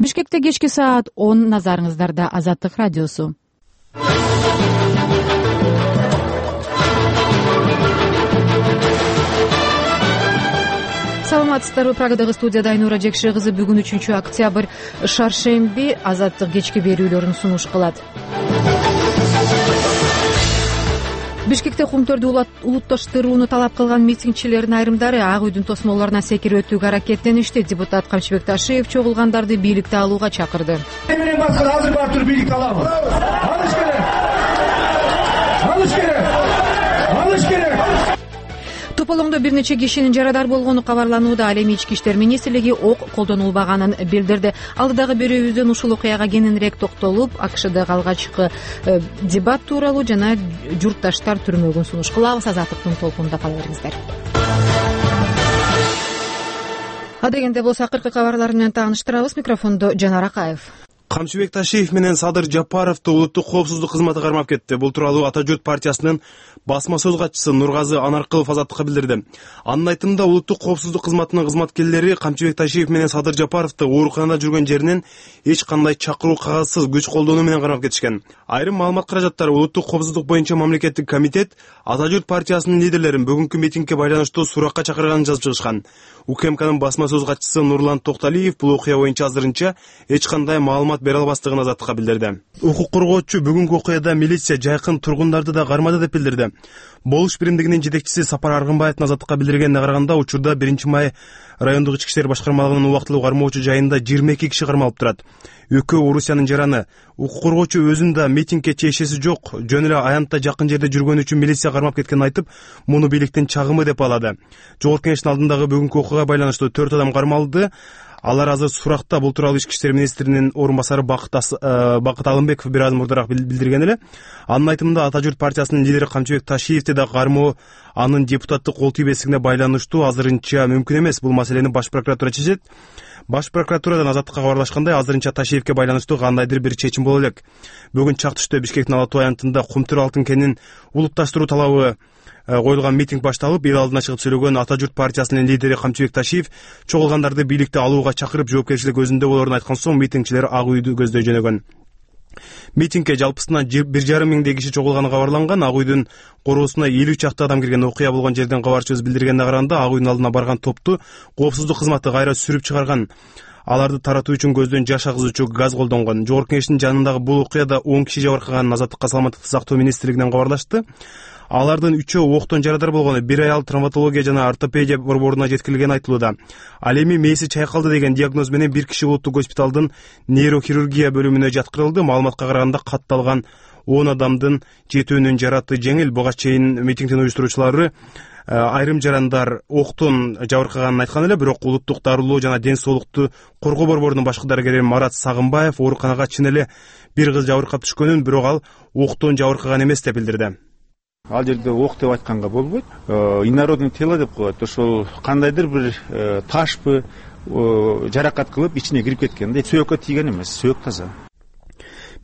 Бишкекте кечки саат 10, назарыңыздарда Азаттык радиосу. Саламатсыздарбы, Прагадагы студияда Айнура Жекше кызы. Бүгүн 3 октябрь, шаршемби. Азаттык кечки берүүлөрүн сунуш кылат. Бишкекте кумтөрдү улутташтырууну талап кылган митингчилердин айрымдары Ак үйдүн тосмолоруна секирип өтүүгө аракеттеништи. Депутат Камчыбек Ташиев чогулгандарды бийликте алууга чакырды. Менен башка азыр барып туруп бийликти алабыз. Алыш керек. Алыш керек. Алыш керек. Тополоңдо бир нече кишинин жарадар болгону кабарланууда. Ал эми Ички иштер министрлиги ок колдонулбаганын билдирди. Алдыдагы берүүбүздөн ушул окуяга кененирээк токтолуп, АКШдагы алгачкы дебат тууралуу жана журтташтар түрмөгүн сунуш кылабыз. Азаттыктын толкунунда кала бериңиздер. Адегенде болсо акыркы кабарлар менен тааныштырабыз. Микрофондо Жанар Акаев. Камчыбек Ташиев менен Садыр Жапаровду улуттук коопсуздук кызматы кармап кетти. Бул тууралуу Ата журт партиясынын басма сөз катчысы Нургазы Анаркылов Азаттыкка билдирди. Анын айтымында улуттук коопсуздук кызматынын кызматкерлери Камчыбек Ташиев менен Садыр Жапаровду ооруканада жүргөн жеринен эч кандай чакыруу кагазсыз күч колдонуу менен кармап кетишкен. Айрым маалымат каражаттары улуттук коопсуздук боюнча мамлекеттик комитет Ата журт партиясынын лидерлерин бүгүнкү митингге байланыштуу суракка чакырганын жазып чыгышкан. УКМКнын басма сөз катчысы Нурлан Токталиев бул окуя боюнча азырынча эч кандай маалымат бере албастыгын Азаттыкка билдирди. Укук коргоочу бүгүнкү окуяда милиция жайкын тургундарды да кармады деп билдирди. Болуш биримдигинин жетекчиси Сапар Аргынбаевдин Азаттыкка билдиргенине караганда, учурда 1-май райондук ички иштер башкармалыгынын убактылуу кармоочу жайында 22 киши кармалып турат. Экөө Орусиянын жараны. Укук коргоочу өзүн да митингге тиешеси жок, жөн эле аянтта жакын жерде жүргөн үчүн милиция кармап кеткенин айтып, муну бийликтин чагымы деп алады. Жогорку Кеңештин алдындагы бүгүнкү окуяга байланыштуу 4 адам кармалды. Алар азыр суракта. Бул тууралуу Ички иштер министринин орун басары Бакыт Алымбеков бир аз мурдараак билдирген эле. Анын айтымында Ата журт партиясынын лидери Камчыбек Ташиевди да кармоо анын депутаттык кол тийбестигине байланыштуу азырынча мүмкүн эмес. Бул маселени Баш прокуратура чечет. Баш прокуратурадан Азаттыкка кабарлашкандай, азырынча Ташиевке байланыштуу кандайдыр бир чечим боло элек. Бүгүн чак түштө Бишкектин Ала Тоо аянтында Кумтөр алтын кенин улутташтыруу талабы коюлган митинг башталып, эл алдына чыгып сүйлөгөн Ата журт партиясынын лидери Камчыбек Ташиев чогулгандарды бийликте алууга чакырып, жоопкерчилик өзүндө болоорун айткан соң митингчилер Ак үйдү көздөй жөнөгөн. Митингге жалпысынан 1,5 миңдей киши чогулганы кабарланган. Ак үйдүн короосуна 50 чакты адам кирген. Окуя болгон жерден кабарчыбыз билдиргенине караганда, Ак үйдүн алдына барган топту коопсуздук кызматы кайра сүрүп чыгарган. Аларды таратуу үчүн көздөн жаш агызуучу газ колдонгон. Жогорку Кеңештин жанындагы бул окуяда 10 киши жабыркаганын Азаттыкка саламаттыкты сактоо министрлигинен кабарлашты. Алардын 3-өө октон жарадар болгону, бир аял травматология жана ортопедия борборуна жеткирилгени айтылууда. Ал эми мээси чайкалды деген диагноз менен бир киши улуттук госпиталдын нейрохирургия бөлүмүнө жаткырылды. Маалыматка караганда катталган 10 адамдын 7-өөнүн жараты жеңил. Буга чейин митингдин уюштуруучулары айрым жарандар октон жабыркаганын айткан эле, бирок улуттук дарылоо жана ден соолукту коргоо борборунун башкы дарыгери Марат Сагынбаев ооруканага чын эле бир кыз жабыркап түшкөнүн, бирок ал октон жабыркаган эмес деп билдирди. Ал жерде ок деп айтканга болбойт. Инородный тело деп коет. Ошол кандайдыр бир ташпы жаракат кылып ичине кирип кеткен. Сөөккө тийген эмес, сөөк таза.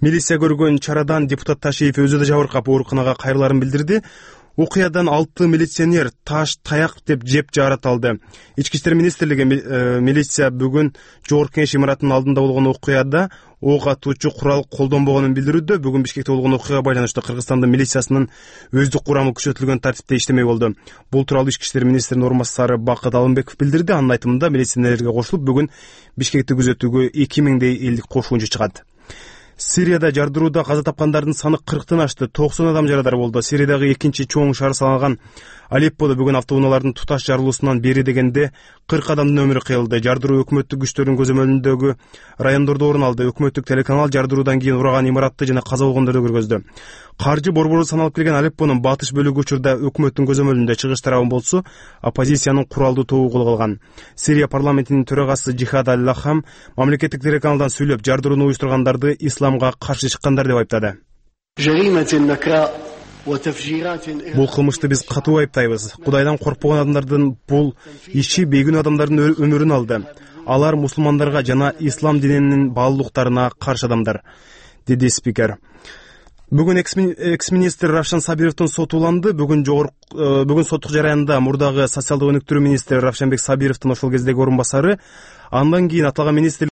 Милиция көргөн чарадан депутат Ташиев өзү да жабыркап ооруканага кайрыларын билдирди. Окуядан 6 милиционер таш, таяк деп жеп жарат алды. Ички иштер министрлиги милиция бүгүн Жогорку Кеңеш имаратынын алдында болгон окуяда ок атуучу курал колдонбогонун билдирүүдө. Бүгүн Бишкекте болгон окуяга байланыштуу Кыргызстандын милициясынын өздүк курамы күчөтүлгөн тартипте иштемей болду. Бул тууралуу Ички иштер министринин орун басары Бакыт Алымбеков билдирди. Анын айтымында милиционерлерге кошулуп бүгүн Бишкекти күзөтүүгө 2000дей элдик кошумчу чыгат. Сирияда жардырууда каза тапкандардын саны 40тан ашты. 90 адам жарадар болду. Сириядагы экинчи чоң шаар салынган Алепподо бүгүн автоунаалардын туташ жарылуусунан бери дегенде 40 адамдын өмүрү кыйылды. Жардыруу өкмөттүк күчтөрдүн көзөмөлүндөгү райондордо орун алды. Өкмөттүк телеканал жардыруудан кийин ураган имаратты жана каза болгондорду көргөздү. Каржы борбору саналып келген Алеппонун батыш бөлүгү учурда өкмөттүн көзөмөлүндө, чыгыш тарабын болсо оппозициянын куралдуу тобу кол алган. Сирия парламентинин төрагасы Джихад Аль-Лахам мамлекеттик телеканалдан сүйлөп, жардырууну уюштургандарды исламга каршы чыккандар деп айыптады. Бул кылмышты биз катуу айыптайбыз. Кудайдан коркпогон адамдардын бул иши бейгүнөө адамдардын өмүрүн алды. Алар мусулмандарга жана ислам дининин баалуулуктарына каршы адамдар, деди спикер. Бүгүн экс-министр Равшан Сабировдун соту уланды. Бүгүн соттук жараянда мурдагы социалдык өнүктүрүү министри Равшанбек Сабировдун ошол кездеги орун басары, андан кийин аталган министр